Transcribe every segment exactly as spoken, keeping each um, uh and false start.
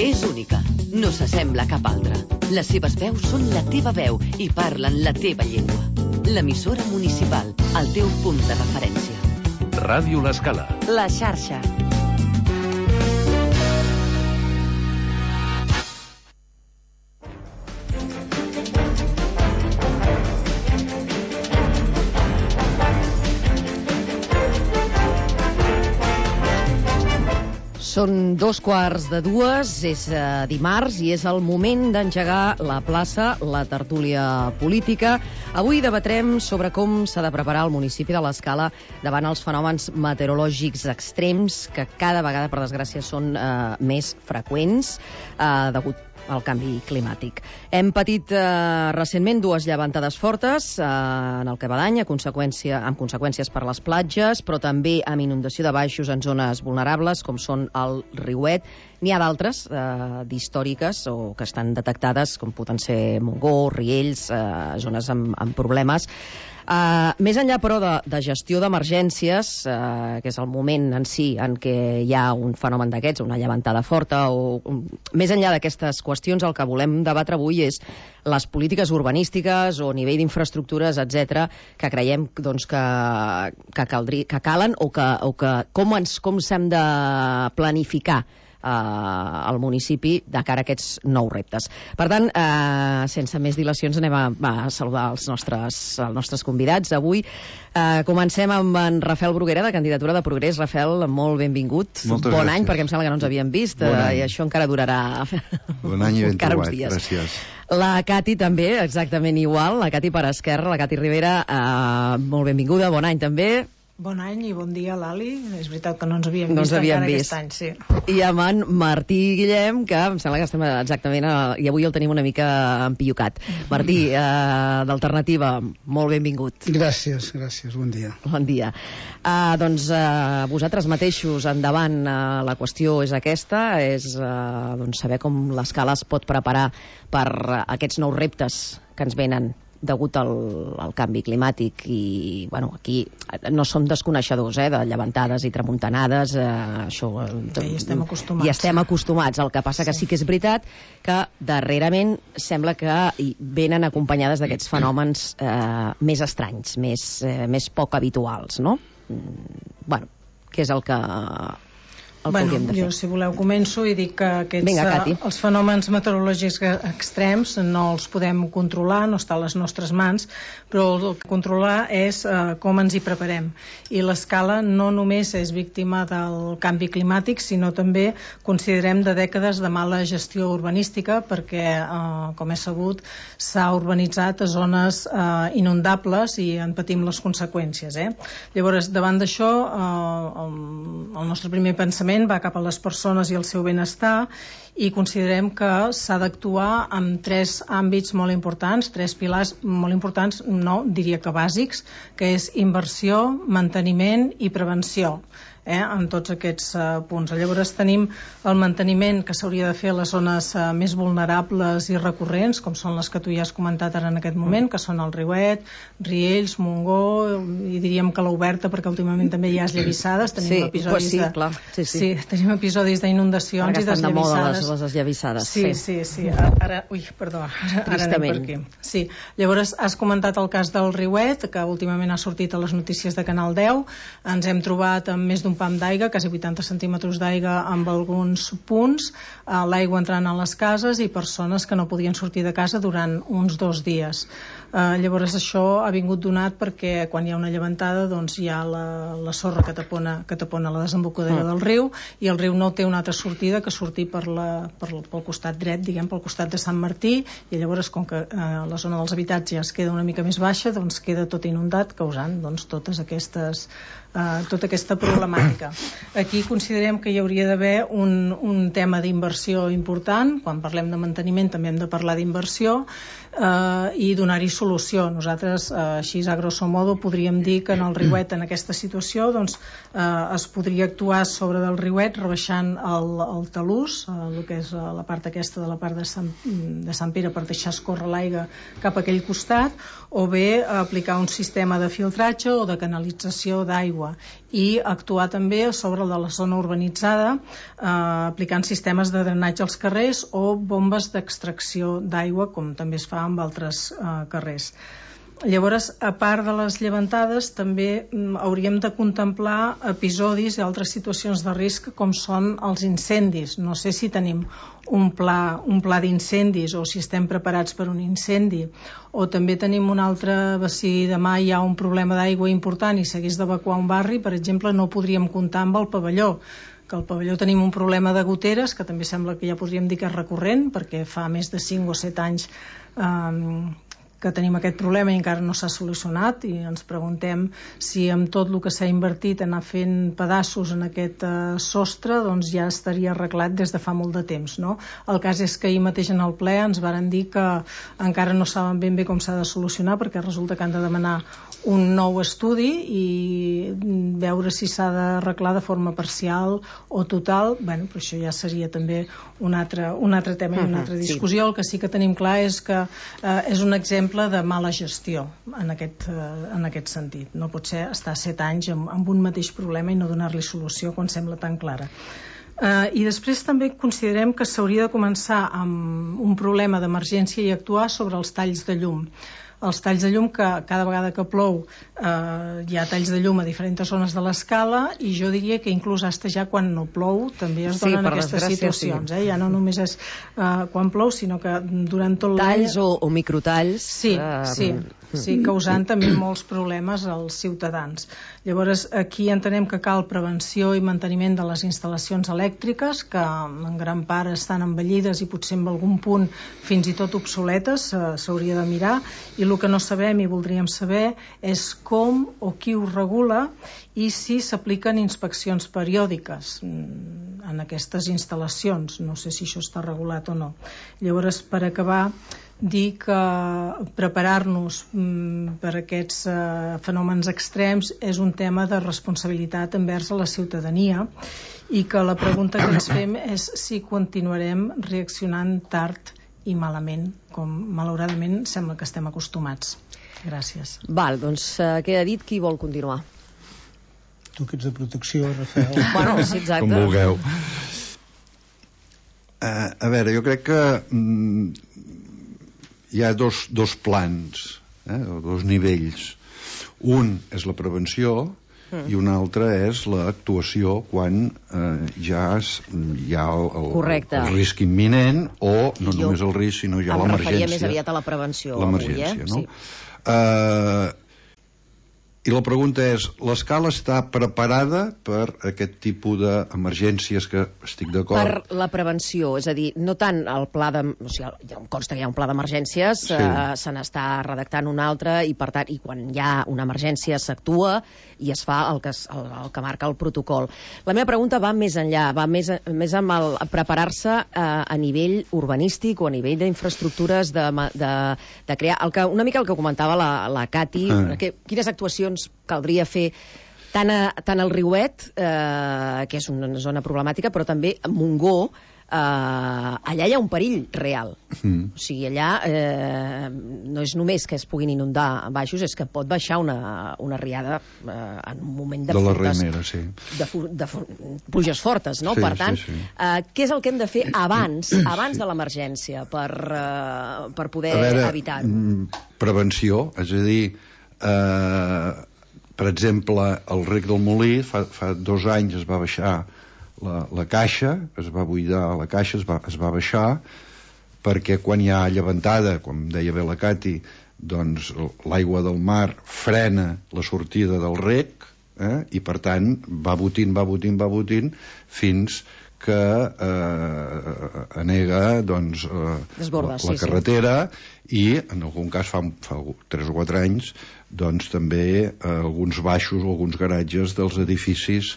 És única, no s'assembla a cap altra. Les seves veus són la teva veu i parlen la teva llengua. L'emissora municipal, el teu punt de referència. Ràdio L'Escala. La xarxa. Són dos quarts de dues, és eh, dimarts i és el moment d'engegar la plaça, la tertúlia política. Avui debatrem sobre com s'ha de preparar el municipi de l'Escala davant els fenòmens meteorològics extrems que cada vegada, per desgràcia, són eh, més freqüents eh, degut al canvi climàtic. Hem patit eh, recentment dues llevantades fortes eh, en el que va d'any, a conseqüència, amb conseqüències per les platges, però també amb inundació de baixos en zones vulnerables, com són el Riuet. N'hi ha d'altres, eh, d'històriques, o que estan detectades, com poden ser Montgó, Riells, eh, zones amb, amb problemes. Uh, més enllà, però, de, de gestió d'emergències, uh, que és el moment en si en què hi ha un fenomen d'aquests, una llevantada forta, o um, més enllà d'aquestes qüestions, el que volem debatre avui és les polítiques urbanístiques o nivell d'infraestructures, etcètera, que creiem doncs, que, que, caldri, que calen o que, o que com ens com s'hem de planificar Uh, al municipi de cara a aquests nous reptes. Per tant, uh, sense més dilacions, anem a, a saludar els nostres, els nostres convidats. Avui uh, comencem amb en Rafael Bruguera, de Candidatura de Progrés. Rafael, molt benvingut. Moltes bon gràcies. Any, perquè em sembla que no ens havíem vist, bon uh, i això encara durarà bon any i ben encara trobat. uns dies. Gràcies. La Cati també, exactament igual, la Cati per esquerra, la Cati Rivera, uh, molt benvinguda, bon any també. Bon any i bon dia, Lali. És veritat que no ens havíem no vist ens havíem encara vist. aquest any, sí. I amb en Martí Guillem, que em sembla que estem exactament... A, i avui el tenim una mica empillocat. Martí, eh, d'Alternativa, molt benvingut. Gràcies, gràcies, bon dia. Bon dia. Uh, doncs uh, vosaltres mateixos, endavant, uh, la qüestió és aquesta, és uh, doncs, saber com l'Escala es pot preparar per uh, aquests nous reptes que ens venen degut al, al canvi climàtic. I bueno, aquí no som desconeixedors eh, de llevantades i tramuntanades, eh, això ja hi estem acostumats. Hi estem acostumats. El que passa que sí que és veritat que darrerament sembla que venen acompanyades d'aquests fenòmens eh, més estranys, més, eh, més poc habituals, no? Bueno, què és el que el bueno, que jo, si voleu, començo i dic que aquests, Vinga, uh, els fenòmens meteorològics extrems no els podem controlar, no està a les nostres mans, però el que controlar és uh, com ens hi preparem. I l'Escala no només és víctima del canvi climàtic, sinó també considerem de dècades de mala gestió urbanística, perquè, uh, com és sabut, s'ha urbanitzat a zones uh, inundables i en patim les conseqüències. Eh? Llavors, davant d'això, uh, el, el nostre primer pensament va cap a les persones i el seu benestar, i considerem que s'ha d'actuar en tres àmbits molt importants, tres pilars molt importants, no, diria que bàsics, que és inversió, manteniment i prevenció. Eh, en tots aquests uh, punts. Llavors tenim el manteniment que s'hauria de fer a les zones uh, més vulnerables i recurrents, com són les que tu ja has comentat ara en aquest moment, que són el Riuet, Riells, Montgó, i diríem que l'Oberta, perquè últimament també hi ha esllavissades, tenim sí, episodis sí, de... clar. Sí, sí. sí, tenim episodis d'inundacions i desllavissades. Ara estan de moda les, les esllavissades. Sí, sí, sí. sí. Ara, ui, perdó, ara, ara anem per aquí. Sí. Llavors has comentat el cas del Riuet, que últimament ha sortit a les notícies de Canal deu. Ens hem trobat amb més d'un pam d'aigua, quasi vuitanta centímetres d'aigua amb alguns punts, eh, l'aigua entrant a les cases i persones que no podien sortir de casa durant uns dos dies. Eh, llavors això ha vingut donat perquè quan hi ha una llevantada doncs hi ha la, la sorra que tapona, que tapona la desembocadura mm. del riu, i el riu no té una altra sortida que sortir per la, per, pel costat dret, diguem, pel costat de Sant Martí, i llavors com que eh, la zona dels habitatges queda una mica més baixa, doncs queda tot inundat, causant doncs, totes aquestes Uh, tota aquesta problemàtica. Aquí considerem que hi hauria d'haver un, un tema d'inversió important. Quan parlem de manteniment també hem de parlar d'inversió. eh, i donar-hi solució. Nosaltres, eh, així a grosso modo, podríem dir que en el riuet, en aquesta situació, doncs, eh, es podria actuar sobre del riuet rebaixant el, el talús, eh, el que és la part aquesta de la part de Sant, de Sant Pere, per deixar escórrer l'aigua cap a aquell costat, o bé aplicar un sistema de filtratge o de canalització d'aigua, i actuar també sobre de la zona urbanitzada, eh, aplicant sistemes de drenatge als carrers o bombes d'extracció d'aigua, com també es fa amb altres eh, carrers. Llavors, a part de les llevantades, també mm, hauríem de contemplar episodis i altres situacions de risc com són els incendis. No sé si tenim un pla, un pla d'incendis o si estem preparats per un incendi, o també tenim un altre, si demà hi ha un problema d'aigua important i s'hagués d'evacuar un barri, per exemple, no podríem comptar amb el pavelló, que al pavelló tenim un problema de goteres, que també sembla que ja podríem dir que és recurrent, perquè fa més de cinc o set anys eh, que tenim aquest problema i encara no s'ha solucionat, i ens preguntem si amb tot el que s'ha invertit en anar fent pedaços en aquest eh, sostre, doncs ja estaria arreglat des de fa molt de temps, no? El cas és que ahir mateix en el ple ens varen dir que encara no saben ben bé com s'ha de solucionar, perquè resulta que han de demanar un nou estudi i veure si s'ha d'arreglar de forma parcial o total. Bueno, però això ja seria també un altre, un altre tema i una altra discussió. El que sí que tenim clar és que eh, és un exemple de mala gestió en aquest, en aquest sentit. No pot ser estar set anys amb, amb un mateix problema i no donar-li solució quan sembla tan clara. Uh, I després també considerem que s'hauria de començar amb un problema d'emergència i actuar sobre els talls de llum. Els talls de llum, que cada vegada que plou eh, hi ha talls de llum a diferents zones de l'escala, i jo diria que inclús hasta ja quan no plou també es donen sí, aquestes situacions, sí. eh? Ja no només és eh, quan plou, sinó que durant tot l'any... Talls o, o microtalls. Sí, uh, sí, sí, causant també molts problemes als ciutadans. Llavors, aquí entenem que cal prevenció i manteniment de les instal·lacions elèctriques, que en gran part estan envellides i potser en algun punt fins i tot obsoletes, s'hauria de mirar, i el que no sabem i voldríem saber és com o qui ho regula i si s'apliquen inspeccions periòdiques en aquestes instal·lacions. No sé si això està regulat o no. Llavors, per acabar, dir que preparar-nos per aquests fenòmens extrems és un tema de responsabilitat envers a la ciutadania, i que la pregunta que ens fem és si continuarem reaccionant tard i malament, com malauradament sembla que estem acostumats. Gràcies. Val, doncs uh, queda dit. Qui vol continuar? Tu que ets de protecció, Rafael. Bueno, sí, exacte. Com vulgueu. Uh, a veure, jo crec que mm, hi ha dos, dos plans, eh, dos nivells. Un és la prevenció, Mm. i una altra és l'actuació quan eh, ja es, hi ha el, el, el risc imminent, o no jo només el risc sinó ja l'emergència. Em referia més aviat a la prevenció avui, eh? No? Sí. Uh, I la pregunta és, l'escala està preparada per aquest tipus d'emergències, que estic d'acord? Per la prevenció, és a dir, no tant el pla de... O sigui, ja em consta que hi ha un pla d'emergències, sí. eh, se n'està redactant un altre, i per tant, i quan hi ha una emergència s'actua i es fa el que, es, el, el que marca el protocol. La meva pregunta va més enllà, va més, més amb el preparar-se eh, a nivell urbanístic o a nivell d'infraestructures, de, de, de crear... El que, una mica el que comentava la, la Cati, ah. que, quines actuacions caldria fer tant, a, tant al Riuet, eh, que és una zona problemàtica, però també a Montgó. Eh, allà hi ha un perill real. Mm. O sigui, allà eh, no és només que es puguin inundar baixos, és que pot baixar una, una riada eh, en un moment de, de la fortes, Remera, sí. de, de, de pluges fortes, no? Sí, per tant, sí, sí. Eh, què és el que hem de fer abans, abans sí. de l'emergència per, eh, per poder evitar-ho? Prevenció, és a dir, Eh, per exemple, el rec del Molí fa, fa dos anys es va baixar la, la caixa, es va buidar la caixa, es va, es va baixar, perquè quan hi ha llevantada, com deia bé la Cati, doncs l'aigua del mar frena la sortida del rec, eh, i per tant va botint, va botint, va botint fins que eh, anega doncs, eh, Desborda, la, la sí, carretera, sí. I en algun cas fa, fa tres o quatre anys doncs també eh, alguns baixos o alguns garatges dels edificis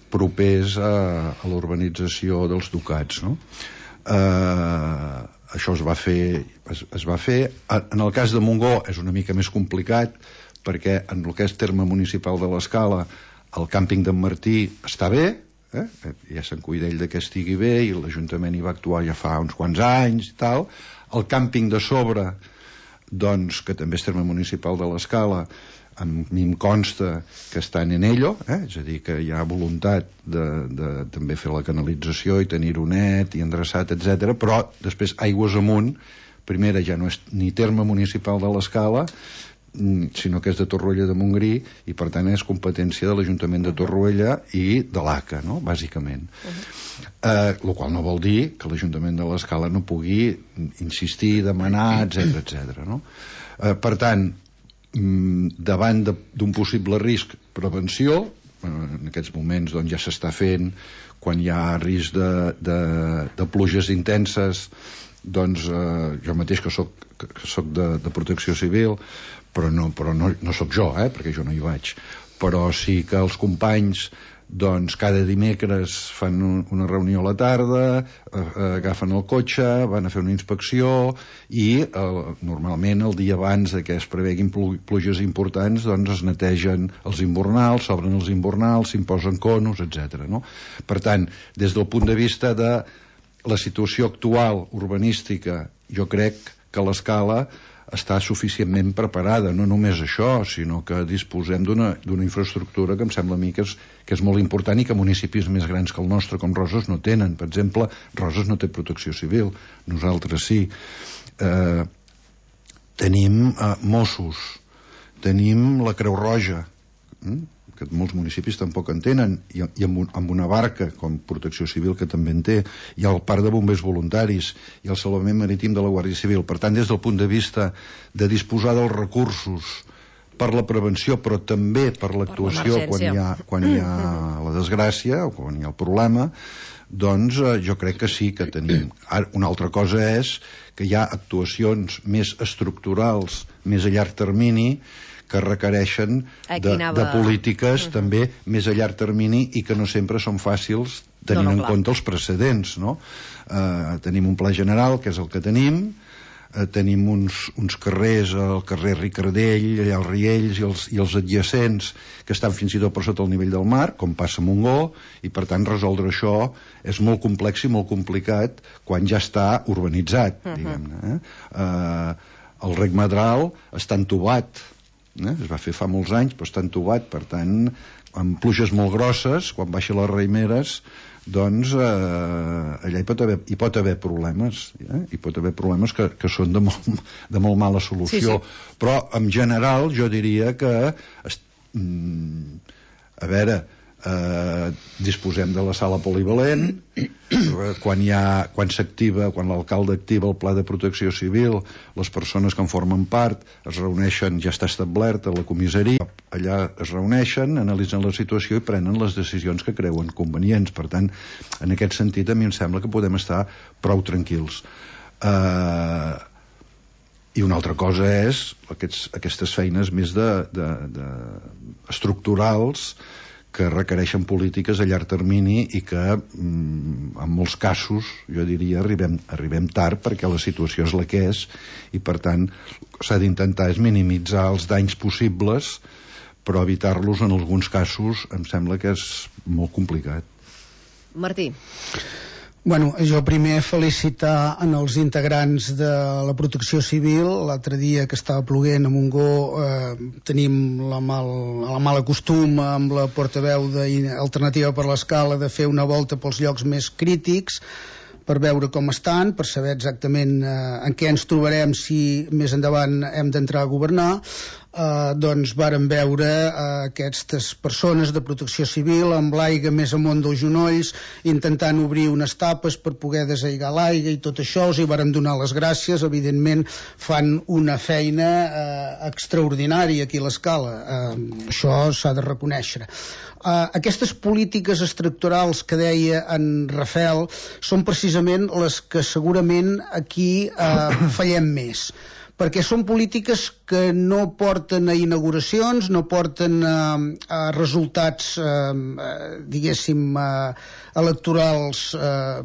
propers a, a l'urbanització dels Ducats, no? Eh, això es va fer, es, es va fer. En el cas de Montgó és una mica més complicat, perquè en el que és terme municipal de l'Escala, el càmping d'en Martí està bé, eh? Ja se'n cuida ell de que estigui bé, i l'Ajuntament hi va actuar ja fa uns quants anys i tal. El càmping de sobre, doncs, que també és terme municipal de l'Escala, a mi em consta que estan en ello, eh? És a dir, que hi ha voluntat de, de també fer la canalització i tenir-ho net i endreçat, etcètera. Però després, aigües amunt, primera ja no és ni terme municipal de l'Escala, sinó que és de Torroella de Montgrí, i per tant és competència de l'Ajuntament de Torroella i de l'A C A, no? Bàsicament. Uh-huh. eh, el qual no vol dir que l'Ajuntament de l'Escala no pugui insistir, demanar, etcètera, etcètera, no? Eh, per tant, davant d'un possible risc, prevenció, en aquests moments doncs, ja s'està fent. Quan hi ha risc de, de, de pluges intenses, doncs eh, jo mateix que soc, que soc de, de protecció civil, però no, però no, no soc jo, eh, perquè jo no hi vaig, però sí que els companys doncs cada dimecres fan un, una reunió a la tarda, eh, agafen el cotxe, van a fer una inspecció, i eh, normalment el dia abans que es preveguin pluges importants doncs es netegen els invernals, s'obren els invernals, s'imposen conos, etcètera, no? Per tant, des del punt de vista de la situació actual urbanística, jo crec que l'Escala està suficientment preparada. No només això, sinó que disposem d'una d'una infraestructura que em sembla a mi que és, que és molt important, i que municipis més grans que el nostre, com Roses, no tenen. Per exemple, Roses no té protecció civil, nosaltres sí. Eh, tenim eh, Mossos, tenim la Creu Roja, hm? que molts municipis tampoc en tenen, i, i amb, un, amb una barca com Protecció Civil, que també en té, hi ha el Parc de Bombers Voluntaris i el Salvament Marítim de la Guàrdia Civil. Per tant, des del punt de vista de disposar dels recursos per la prevenció, però també per l'actuació quan hi ha, quan hi ha la desgràcia o quan hi ha el problema, doncs eh, jo crec que sí que tenim. Ara, una altra cosa és que hi ha actuacions més estructurals, més a llarg termini, que requereixen de, anava... de polítiques uh-huh. també més a llarg termini, i que no sempre són fàcils tenint no, no, en compte els precedents, no? Eh, tenim un pla general, que és el que tenim, eh, tenim uns, uns carrers, el carrer Ricardell, allà els Riells i els, i els adjacents, que estan fins i tot per sota el nivell del mar, com passa a Montgó, i per tant resoldre això és molt complex i molt complicat quan ja està urbanitzat, uh-huh. diguem-ne. Eh? Eh, el Rec Madral està entubat, Eh? es va fer fa molts anys, però està entubat. Per tant, amb pluges molt grosses, quan baixen les raimeres, doncs eh, allà hi pot haver, hi pot haver problemes, eh? hi pot haver problemes que, que són de molt, de molt mala solució. Sí, sí. Però en general jo diria que est... a veure, eh, disposem de la sala polivalent. Quan hi ha, quan s'activa, quan l'alcalde activa el pla de protecció civil, les persones que en formen part es reuneixen, ja està establert a la comissaria, allà es reuneixen, analitzen la situació i prenen les decisions que creuen convenients. Per tant, en aquest sentit a mi em sembla que podem estar prou tranquils. Eh, i una altra cosa és aquests, aquestes feines més de, de, de estructurals, que requereixen polítiques a llarg termini i que mm, en molts casos jo diria arribem, arribem tard, perquè la situació és la que és, i per tant s'ha d'intentar és minimitzar els danys possibles, però evitar-los en alguns casos em sembla que és molt complicat. Martí. Bueno, jo primer felicitar en els integrants de la Protecció Civil. L'altre dia que estava ploguent a Montgó eh, tenim la mal, la mala costum amb la portaveu d'Alternativa per l'Escala de fer una volta pels llocs més crítics per veure com estan, per saber exactament eh, en què ens trobarem si més endavant hem d'entrar a governar. Uh, doncs vàrem veure uh, aquestes persones de protecció civil amb l'aigua més amunt dels genolls, intentant obrir unes tapes per poder desaiguar l'aigua i tot això. Els hi vàrem donar les gràcies. Evidentment fan una feina uh, extraordinària aquí a l'Escala, uh, això s'ha de reconèixer. Uh, aquestes polítiques estructurals que deia en Rafael són precisament les que segurament aquí uh, fallem més, perquè són polítiques que no porten a inauguracions, no porten a, a resultats, eh, diguéssim, eh, electorals eh,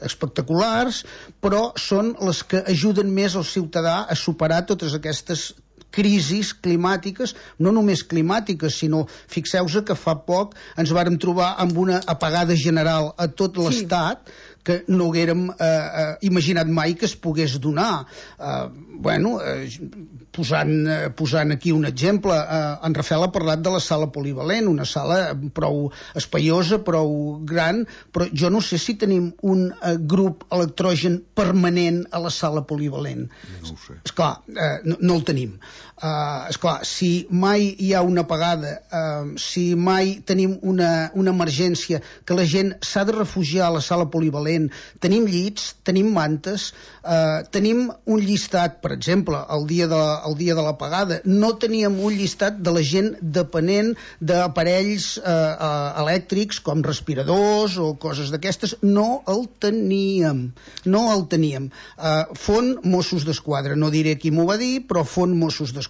espectaculars, però són les que ajuden més al ciutadà a superar totes aquestes crisis climàtiques, no només climàtiques, sinó, fixeu-vos que fa poc ens vàrem trobar amb una apagada general a tot l'estat, sí, que no haguérem eh, eh, imaginat mai que es pogués donar. Eh, bueno, eh, posant, eh, posant aquí un exemple, eh, en Rafael ha parlat de la sala polivalent, una sala prou espaiosa, prou gran, però jo no sé si tenim un eh, grup electrogen permanent a la sala polivalent. No ho sé. Esclar, eh, no, no el tenim. Uh, esclar, si mai hi ha una apagada, uh, si mai tenim una, una emergència que la gent s'ha de refugiar a la sala polivalent, tenim llits, tenim mantes, uh, tenim un llistat, per exemple, el dia de, el dia de l'apagada, no teníem un llistat de la gent depenent d'aparells uh, uh, elèctrics com respiradors o coses d'aquestes, no el teníem, no el teníem. Uh, Font Mossos d'Esquadra, no diré qui m'ho va dir, però Font Mossos d'Esquadra.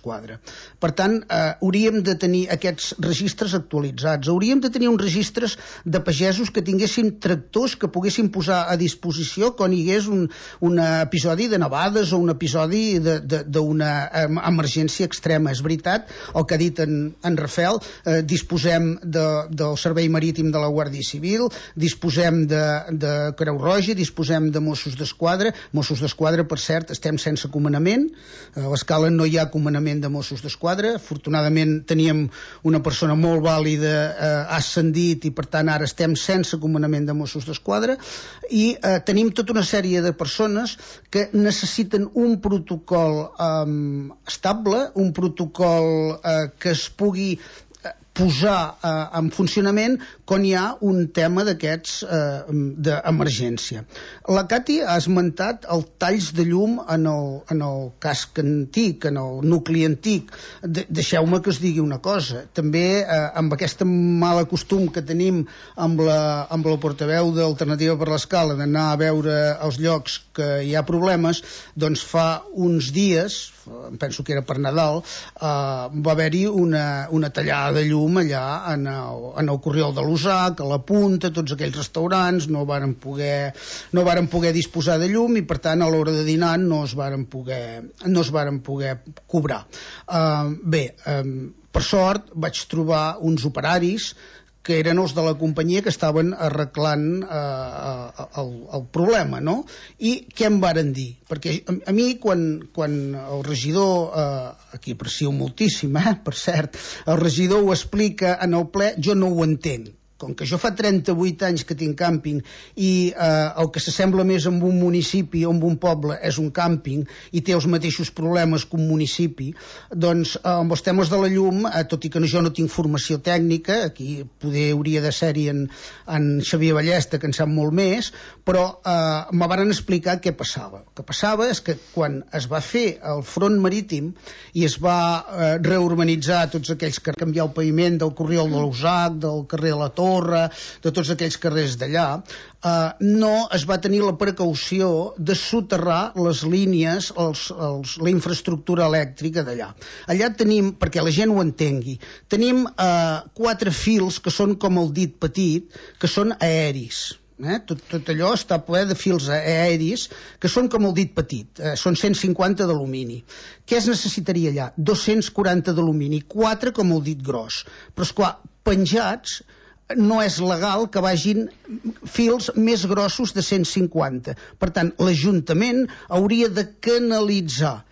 Per tant, eh, hauríem de tenir aquests registres actualitzats, hauríem de tenir uns registres de pagesos que tinguessin tractors que poguessin posar a disposició quan hi hagués un, un episodi de nevades o un episodi d'una emergència extrema. És veritat el que ha dit en, en Rafael, eh, disposem de, del Servei Marítim de la Guàrdia Civil, disposem de, de Creu Roja, disposem de Mossos d'Esquadra. Mossos d'Esquadra, per cert, estem sense comandament, a l'Escala no hi ha comandament de Mossos d'Esquadra. Afortunadament teníem una persona molt vàlida, eh, ha ascendit i per tant ara estem sense comandament de Mossos d'Esquadra i eh, tenim tota una sèrie de persones que necessiten un protocol eh, estable, un protocol eh, que es pugui posar eh, en funcionament quan hi ha un tema d'aquests eh, d'emergència. La Cati ha esmentat els talls de llum en el, en el casc antic, en el nucli antic. De, deixeu-me que us digui una cosa. També eh, amb aquesta mala costum que tenim amb la, amb la portaveu d'Alternativa per l'Escala d'anar a veure els llocs que hi ha problemes, doncs fa uns dies, em penso que era per Nadal, eh, va haver-hi una, una tallada de llum allà en el, en el Corriol de l'Usac, a la Punta, tots aquells restaurants no varen poder, no varen poder disposar de llum i per tant a l'hora de dinar no es varen poder, no es varen poder cobrar. Uh, bé, um, per sort vaig trobar uns operaris que eren els de la companyia que estaven arreglant eh, el, el problema, no? I què em varen dir? Perquè a, a mi, quan, quan el regidor, eh, aquí aprecio moltíssim, eh, per cert, el regidor ho explica en el ple, jo no ho entenc. Com que jo fa trenta-vuit anys que tinc càmping i eh, el que s'assembla més amb un municipi o amb un poble és un càmping i té els mateixos problemes que un municipi, doncs eh, amb els temes de la llum, eh, tot i que jo no tinc formació tècnica, aquí poder hauria de ser-hi en, en Xavier Ballesta, que en sap molt més, però eh, me van explicar què passava. El que passava és que quan es va fer el front marítim i es va eh, reurbanitzar tots aquells que canviar el paviment del Corriol de l'Usac, del carrer de la Torre, de tots aquells carrers d'allà, eh, no es va tenir la precaució de soterrar les línies, els, els, la infraestructura elèctrica d'allà. Allà tenim, perquè la gent ho entengui, tenim eh, quatre fils que són com el dit petit, que són aeris. Eh? Tot, tot allò està ple de fils aeris que són com el dit petit, eh, són cent cinquanta d'alumini. Què es necessitaria allà? dos-cents quaranta d'alumini, quatre com el dit gros. Però esclar, penjats no és legal que vagin fils més grossos de cent cinquanta. Per tant, l'Ajuntament hauria de canalitzar,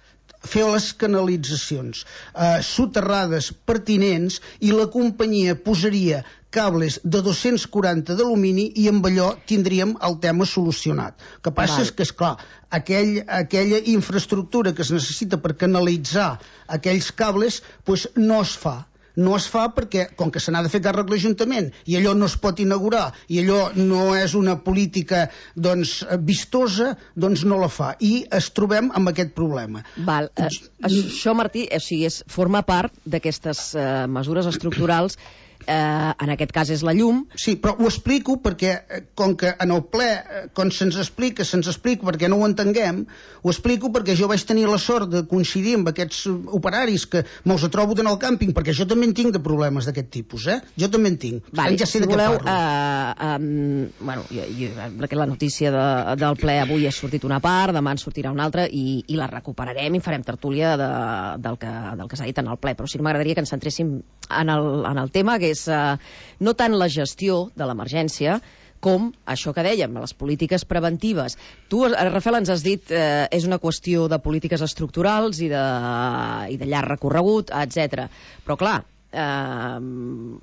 fer les canalitzacions eh, soterrades pertinents i la companyia posaria cables de dos-cents quaranta d'alumini i amb allò tindríem el tema solucionat. El que passa Val. és que, esclar, aquell, aquella infraestructura que es necessita per canalitzar aquells cables doncs no es fa. No es fa perquè, com que se n'ha de fer càrrec l'Ajuntament i allò no es pot inaugurar i allò no és una política doncs, vistosa, doncs no la fa. I es trobem amb aquest problema. Val. Eh, això, Martí, o sigui, és, forma part d'aquestes eh, mesures estructurals Eh, en aquest cas és la llum. Sí, però ho explico perquè, com que en el ple, quan se'ns explica, se'ns explica perquè no ho entenguem, ho explico perquè jo vaig tenir la sort de coincidir amb aquests operaris que me'ls trobo en el càmping, perquè jo també en tinc de problemes d'aquest tipus, eh? Jo també en tinc. Vale, ja sé si de què voleu, parlo. eh, um, bueno, jo, jo, la notícia de, del ple avui ha sortit una part, demà en sortirà una altra, i, i la recuperarem i farem tertúlia de, del que, del que s'ha dit en el ple, però sí que m'agradaria que ens centréssim en el, en el tema, que és uh, no tant la gestió de l'emergència com això que dèiem, les polítiques preventives. Tu, Rafael, ens has dit eh, és una qüestió de polítiques estructurals i de, i de llarg recorregut, etcètera. Però clar, eh,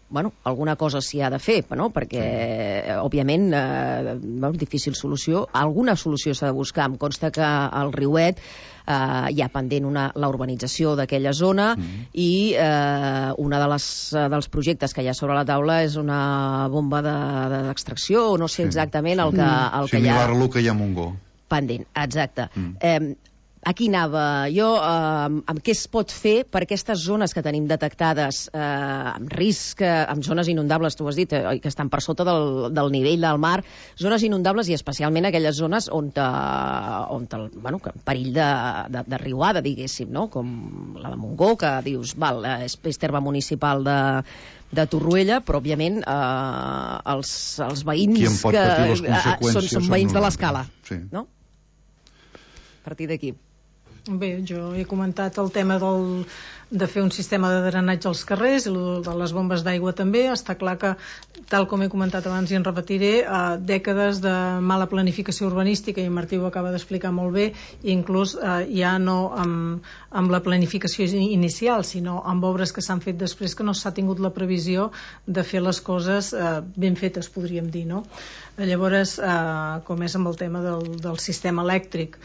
bueno, alguna cosa s'hi ha de fer, no? Perquè, eh, òbviament, eh, bueno, difícil solució. Alguna solució s'ha de buscar. Em consta que al Riuet Uh, hi ha pendent una, la urbanització d'aquella zona mm-hmm. i uh, una de les, uh, dels projectes que hi ha sobre la taula és una bomba d'extracció, de, no sé exactament el que, el sí, que hi ha... Similar a el que hi ha a Montgó. Pendent, exacte. Mm. Eh, aquí anava jo, eh, amb què es pot fer per aquestes zones que tenim detectades eh, amb risc, eh, amb zones inundables, tu has dit, eh, que estan per sota del, del nivell del mar, zones inundables i especialment aquelles zones on, te, on te, bueno, que perill de, de, de riuada, diguéssim, no? Com la de Montgó, que dius, val, és, és terme municipal de, de Torroella, però òbviament eh, els, els veïns qui en pot patir les conseqüències són, són veïns de l'escala, sí. No? A partir d'aquí. Bé, jo he comentat el tema del, de fer un sistema de drenatge als carrers i de les bombes d'aigua també. Està clar que, tal com he comentat abans i en repetiré, eh, dècades de mala planificació urbanística, i en Martí ho acaba d'explicar molt bé, i inclús eh, ja no amb, amb la planificació inicial, sinó amb obres que s'han fet després, que no s'ha tingut la previsió de fer les coses eh, ben fetes, podríem dir, no? Llavors, eh, com és amb el tema del, del sistema elèctric,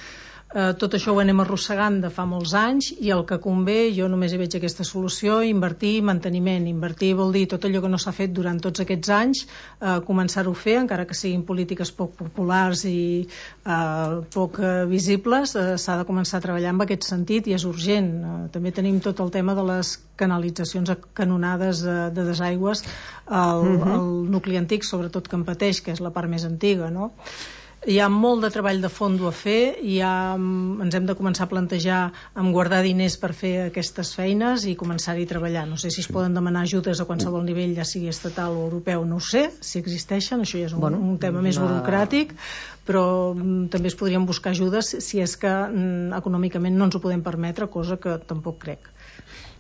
Uh, tot això ho anem arrossegant de fa molts anys, i el que convé, jo només hi veig aquesta solució: invertir, manteniment. Invertir vol dir tot allò que no s'ha fet durant tots aquests anys, uh, començar-ho a fer, encara que siguin polítiques poc populars i uh, poc uh, visibles, uh, s'ha de començar a treballar en aquest sentit, i és urgent. Uh, també tenim tot el tema de les canalitzacions canonades de, de desaigües al, uh-huh. al nucli antic, sobretot que en pateix, que és la part més antiga, no? Hi ha molt de treball de fondo a fer, i ha, ens hem de començar a plantejar amb guardar diners per fer aquestes feines i començar-hi a treballar. No sé si es poden demanar ajudes a qualsevol nivell, ja sigui estatal o europeu, no ho sé, si existeixen, això ja és un, bueno, un tema més una... burocràtic, però mm, també es podrien buscar ajudes si és que mm, econòmicament no ens ho podem permetre, cosa que tampoc crec.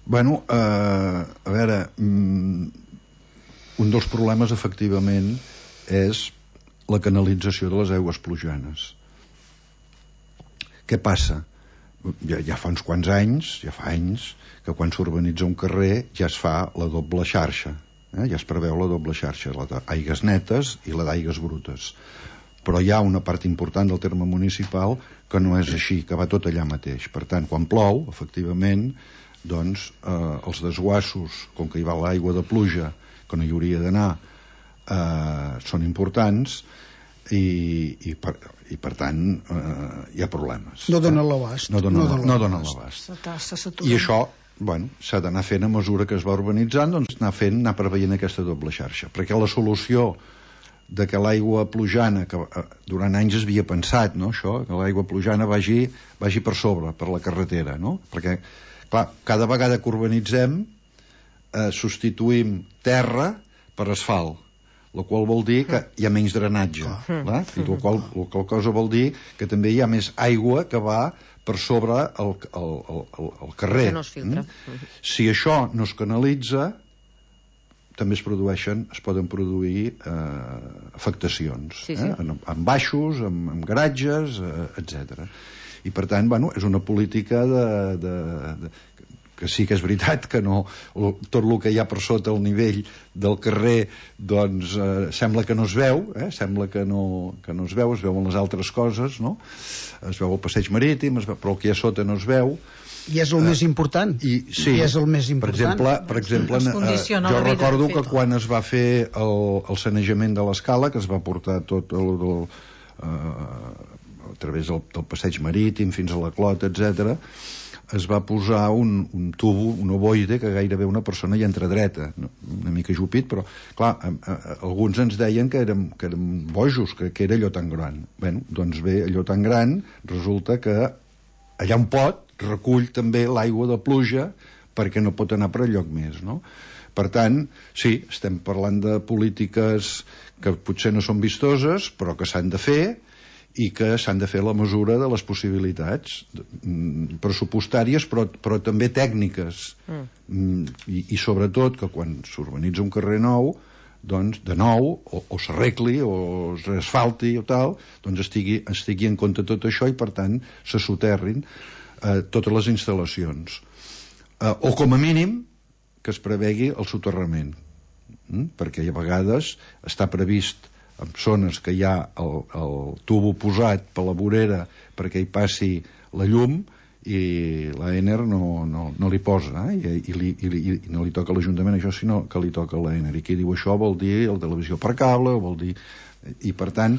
Bueno, eh, a veure, mm, un dels problemes efectivament és la canalització de les aigües plujanes. Què passa? Ja, ja fa uns quants anys, ja fa anys, que quan s'urbanitza un carrer ja es fa la doble xarxa, eh? Ja es preveu la doble xarxa, la d'aigües netes i la d'aigües brutes. Però hi ha una part important del terme municipal que no és així, que va tot allà mateix. Per tant, quan plou, efectivament, doncs eh, els desguassos, com que hi va l'aigua de pluja, que no hi hauria d'anar, eh, són importants, i, i, per, i per tant eh, hi ha problemes. No donen l'abast. No donen, no no donen l'abast. I això, bueno, s'ha d'anar fent a mesura que es va urbanitzant, doncs anar fent, anar preveient aquesta doble xarxa, perquè la solució de que l'aigua plujana, que eh, durant anys es havia pensat, no, això, que l'aigua plujana vagi, vagi per sobre, per la carretera, no? Perquè, clar, cada vegada que urbanitzem eh, substituïm terra per asfalt, la qual vol dir que hi ha menys drenatge, clar? I la qual, la qual cosa vol dir que també hi ha més aigua que va per sobre el, el, el, el carrer. Que no es filtra. Mm? Si això no es canalitza, també es produeixen, es poden produir eh, afectacions, sí, sí. Eh? En, en baixos, en, en garatges, eh, etcètera. I per tant, bueno, és una política de, de, de que sí que és veritat que no, tot el que hi ha per sota el nivell del carrer, doncs eh, sembla que no es veu, eh? Sembla que no, que no es veu, es veuen les altres coses, no? Es veu el passeig marítim, es veu, però el que hi ha sota no es veu. I és el eh, més important. I, sí, I és el més important. Per exemple, per exemple eh, jo recordo que quan es va fer el, el sanejament de l'escala, que es va portar tot el, el, eh, a través del, del passeig marítim fins a la Clota, etcètera, es va posar un, un tubo, un ovoide, que gairebé una persona hi entra dreta, no? Una mica jupit, però clar, a, a, a, alguns ens deien que érem, que érem bojos, que, que era allò tan gran. Bé, doncs bé, allò tan gran resulta que allà un pot recull també l'aigua de pluja perquè no pot anar per enlloc més, no? Per tant, sí, estem parlant de polítiques que potser no són vistoses, però que s'han de fer, i que s'han de fer a la mesura de les possibilitats pressupostàries, però, però també tècniques. Mm. I, I sobretot que quan s'urbanitza un carrer nou, doncs, de nou, o, o s'arregli, o es reasfalti o tal, doncs estigui, estigui en compte tot això i, per tant, se soterrin eh, totes les instal·lacions. Eh, o, com a mínim, que es prevegui el soterrament. Mm? Perquè a vegades està previst en zones que hi ha el, el tubo posat per la vorera perquè hi passi la llum i l'Aener no, no, no li posa, eh? I, i, li, i, i no li toca a l'Ajuntament això, sinó que li toca a l'Aener. I qui diu això vol dir el televisió per cable, vol dir... I per tant,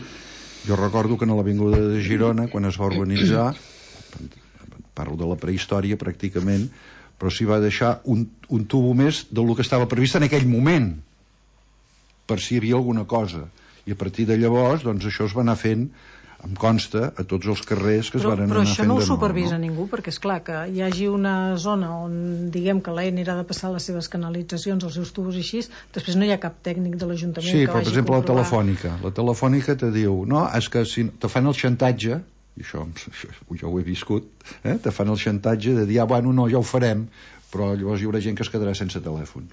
jo recordo que a l'Avinguda de Girona, quan es va urbanitzar, parlo de la prehistòria pràcticament, però s'hi va deixar un, un tubo més del que estava previst en aquell moment, per si hi havia alguna cosa. I a partir de llavors, doncs això es va anar fent, em consta, a tots els carrers que es però, van anar però fent de nou. Però això no ho supervisa no? ningú, perquè és clar que hi hagi una zona on diguem que l'Aener ha de passar les seves canalitzacions, els seus tubos i així, després no hi ha cap tècnic de l'Ajuntament sí, que però, vagi per exemple, a comprovar. la telefònica. La telefònica te diu, no, és que si te fan el xantatge, i això, això jo ho he viscut, eh? te fan el xantatge de dir, ah, bueno, no, ja ho farem, però llavors hi haurà gent que es quedarà sense telèfon.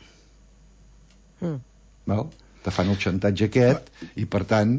Mm. Val? Te fan el xantatge aquest i per tant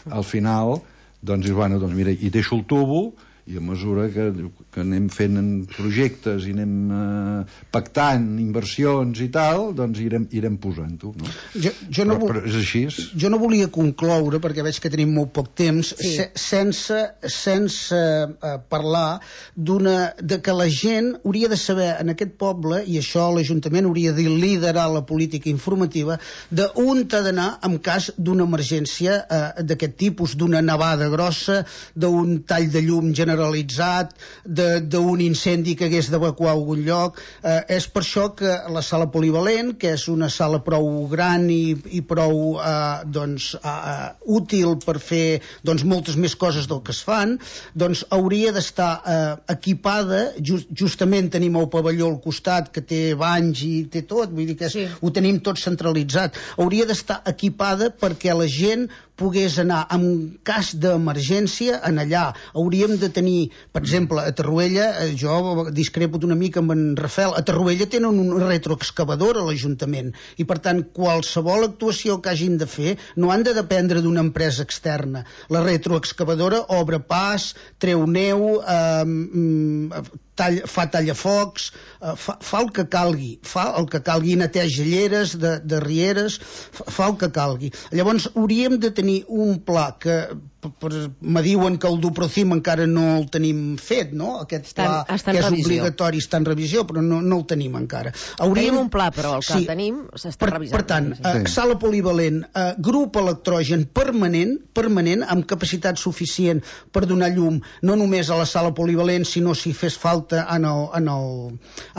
al final doncs, bueno, doncs mira, hi deixo el tubo i a mesura que, que anem fent projectes i anem eh, pactant inversions i tal, doncs irem, irem posant-ho, no? Jo, jo no però, però és així. Jo no volia concloure, perquè veig que tenim molt poc temps, sí. se, sense, sense eh, parlar d'una, de que la gent hauria de saber en aquest poble, i això l'Ajuntament hauria de liderar la política informativa, d'on t'ha d'anar en cas d'una emergència eh, d'aquest tipus, d'una nevada grossa, d'un tall de llum general generalitzat, d'un incendi que hagués d'evacuar a algun lloc. Eh, és per això que la sala polivalent, que és una sala prou gran i, i prou eh, doncs, eh, útil per fer doncs, moltes més coses del que es fan, doncs hauria d'estar eh, equipada, just, justament tenim el pavelló al costat que té banys i té tot, vull dir que és, sí. Ho tenim tot centralitzat. Hauria d'estar equipada perquè la gent pogués anar en cas d'emergència en allà. Hauríem de tenir, per exemple, a Torroella, jo discrepo una mica amb en Rafael, a Torroella tenen una retroexcavadora a l'Ajuntament i per tant qualsevol actuació que hagin de fer no han de dependre d'una empresa externa. La retroexcavadora obre pas, treu neu, eh, tall, fa tallafocs, eh, fa, fa el que calgui, fa el que calgui, neteja lleres de, de rieres, fa, fa el que calgui. Llavors hauríem de tenir un pla que me diuen que el Duprocim encara no el tenim fet, no? Aquest pla estan, estan que és revisió. obligatori, està en revisió, però no, no el tenim encara. Hauríem... Tenim un pla, però el que sí. tenim s'està per, revisant. Per tant, sí. eh, sala polivalent, eh, grup electrogen permanent, permanent, amb capacitat suficient per donar llum, no només a la sala polivalent, sinó si fes falta en el, en el,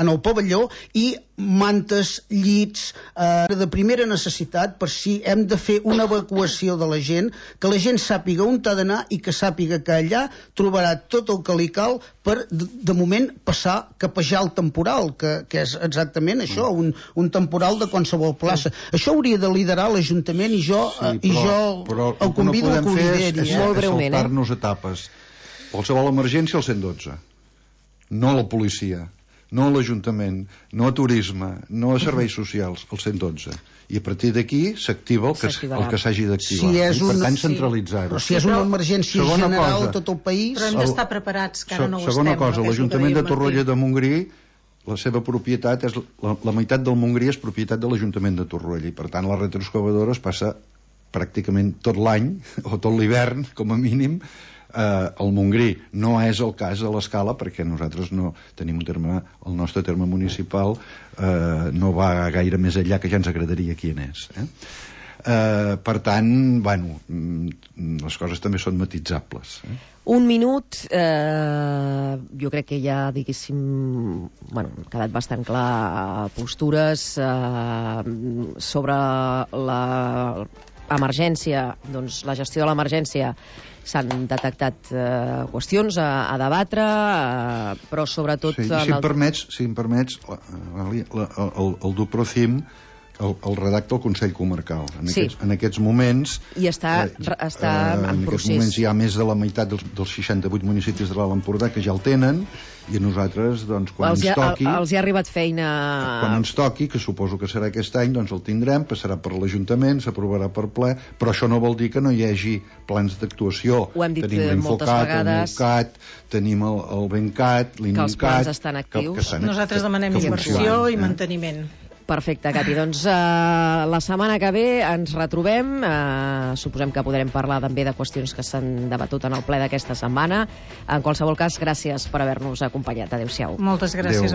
en el pavelló, i mantes, llits, eh, de primera necessitat per si hem de fer una evacuació de la gent, que la gent sàpiga on t'ha d'anar i que sàpiga que allà trobarà tot el que li cal per, de, de moment, passar, capejar el temporal, que, que és exactament això, un, un temporal de qualsevol plaça. Sí. Això hauria de liderar l'Ajuntament i jo, sí, però, i jo però el convido no a que ho lideri. És, és, molt és breument, saltar-nos etapes. Qualsevol emergència al cent dotze, no la policia, no a l'Ajuntament, no a Turisme, no a Serveis Socials, al cent dotze. I a partir d'aquí s'activa el que, el que s'hagi d'activar. Si és I, per una... tant, centralitzar-ho. Però si és una emergència segona general cosa, a tot el país... Però hem d'estar preparats, que ara no ho segona estem. cosa, l'Ajuntament de Torroella de Montgrí, la seva propietat és la, la meitat del Montgrí és propietat de l'Ajuntament de Torroella i per tant la retroexcavadora es passa pràcticament tot l'any o tot l'hivern com a mínim eh, al Montgrí. No és el cas a l'Escala perquè nosaltres no tenim un terme, el nostre terme municipal eh, no va gaire més enllà, que ja ens agradaria qui n'és, eh? Eh, per tant, bueno, les coses també són matissables. Eh? Un minut, eh, jo crec que ja, diguéssim, bueno, han quedat bastant clar postures eh, sobre l'emergència, doncs la gestió de l'emergència. S'han detectat eh, qüestions a, a debatre, eh, però sobretot... Sí, si, em permets, si em permets, la, la, la, el, el Duprocim el, el redacta el Consell Comarcal. En, sí. aquests, en aquests moments... I està, eh, està eh, en, en procés. En aquests moments hi ha més de la meitat dels, dels seixanta-vuit municipis de l'Alt Empordà que ja el tenen, i a nosaltres, doncs, quan els ens toqui... Ha, els hi ha arribat feina... Quan ens toqui, que suposo que serà aquest any, doncs el tindrem, passarà per l'Ajuntament, s'aprovarà per ple, però això no vol dir que no hi hagi plans d'actuació. Ho hem dit tenim moltes vegades. Tenim l'Infocat, tenim el, el Bencat, l'Incat... Que els plans estan actius. Que, que estan, nosaltres demanem inversió i eh? manteniment. Perfecte, Cati. Doncs uh, la setmana que ve ens retrobem. Uh, suposem que podrem parlar també de qüestions que s'han debatut en el ple d'aquesta setmana. En qualsevol cas, gràcies per haver-nos acompanyat. Adéu-siau. Moltes gràcies. Adéu.